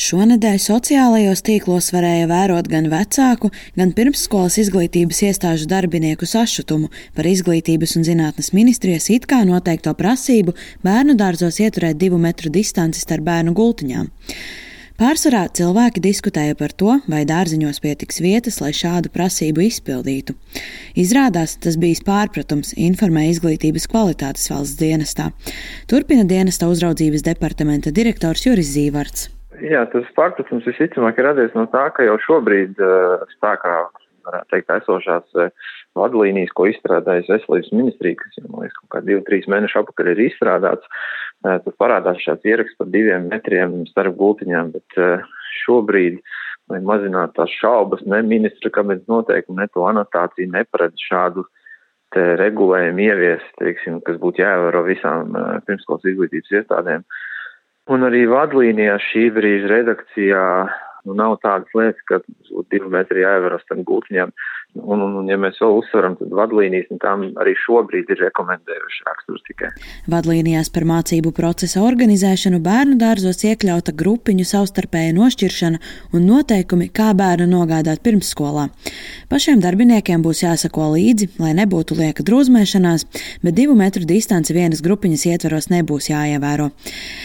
Šonedēļ sociālajos tīklos varēja vērot gan vecāku, gan pirmsskolas izglītības iestāžu darbinieku sašutumu par Izglītības un zinātnes ministrijas it kā noteikto prasību bērnu dārzos ieturēt 2 metru distanci starp bērnu gultiņām. Pārsvarā cilvēki diskutēja par to, vai dārziņos pietiks vietas, lai šādu prasību izpildītu. Izrādās, tas bijis pārpratums, informē Izglītības kvalitātes valsts dienestā. Turpina dienesta uzraudzības departamenta direktors Juris Zīvarts. Jā, tas pārpratums visticamāk ir radies no tā, ka jau šobrīd spēkā, varētu teikt, esošās vadlīnijas, ko izstrādājas Veselības ministrija, kas jau, man liekas, kaut kā 2-3 mēnešu apakaļ ir izstrādāts, tad parādās šāds ieraksts par 2 metriem starp gultiņām, bet šobrīd, lai mazinātu tās šaubas, ne ministra kabineta noteikumi, ne to anotāciju neparedz šādu te regulējumu ieviest, teiksim, kas būtu jāievēro visām pirmskolas izglītības iestādēm. Un arī vadlīnijā šī brīža redakcijā nav tādas lietas, ka 2 metri jāievēro starp gultiņām. Un ja mēs vēl uzsveram, tad vadlīnijas tām arī šobrīd ir rekomendējuši raksturs tikai. Vadlīnijās par mācību procesa organizēšanu bērnu dārzos iekļauta grupiņu savstarpēja nošķiršana un noteikumi, kā bērnu nogādāt pirmsskolā. Pašiem darbiniekiem būs jāsako līdzi, lai nebūtu lieka drūzmēšanās, bet 2 metru distanci vienas grupiņas ietveros nebūs jāievēro.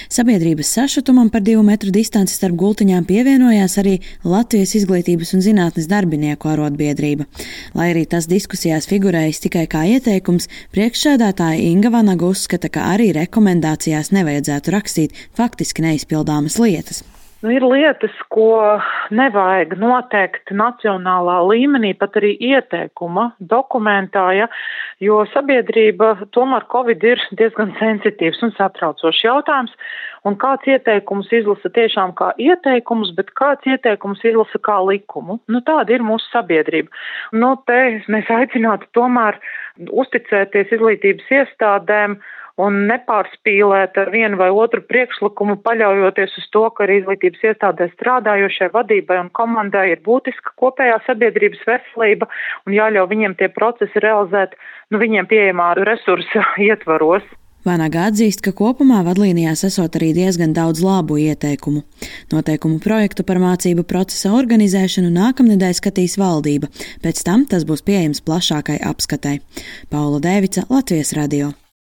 Sabiedrības sašutumam par 2 metru distanci starp gultiņām pievienojās arī Latvijas Izglītības un zinātnes darbinieku arotbiedrība. Lai arī tas diskusijās figurējis tikai kā ieteikums, priekšsēdētāja Inga Vanaga uzskata, ka arī rekomendācijās nevajadzētu rakstīt faktiski neizpildāmas lietas. Ir lietas, ko nevajag noteikt nacionālā līmenī, pat arī ieteikuma dokumentā, jo sabiedrība tomēr Covid ir diezgan sensitīvs un satraucošs jautājums, un kāds ieteikums izlasa tiešām kā ieteikums, bet kāds ieteikums izlasa kā likumu. Tāda ir mūsu sabiedrība. Te mēs aicinātu tomēr uzticēties izglītības iestādēm un nepārspīlēt ar vienu vai otru priekšlikumu, paļaujoties uz to, ka arī izglītības iestādē strādājošai vadībai un komandai ir būtiska kopējā sabiedrības veselība un jāļauj viņiem tie procesi realizēt viņiem pieejamā resursa ietvaros. Vanaga atzīst, ka kopumā vadlīnijās esot arī diezgan daudz labu ieteikumu. Noteikumu projektu par mācību procesa organizēšanu nākamnedēļ skatīs valdība, pēc tam tas būs pieejams plašākai apskatai. Paula Dēvica, Latvijas radio.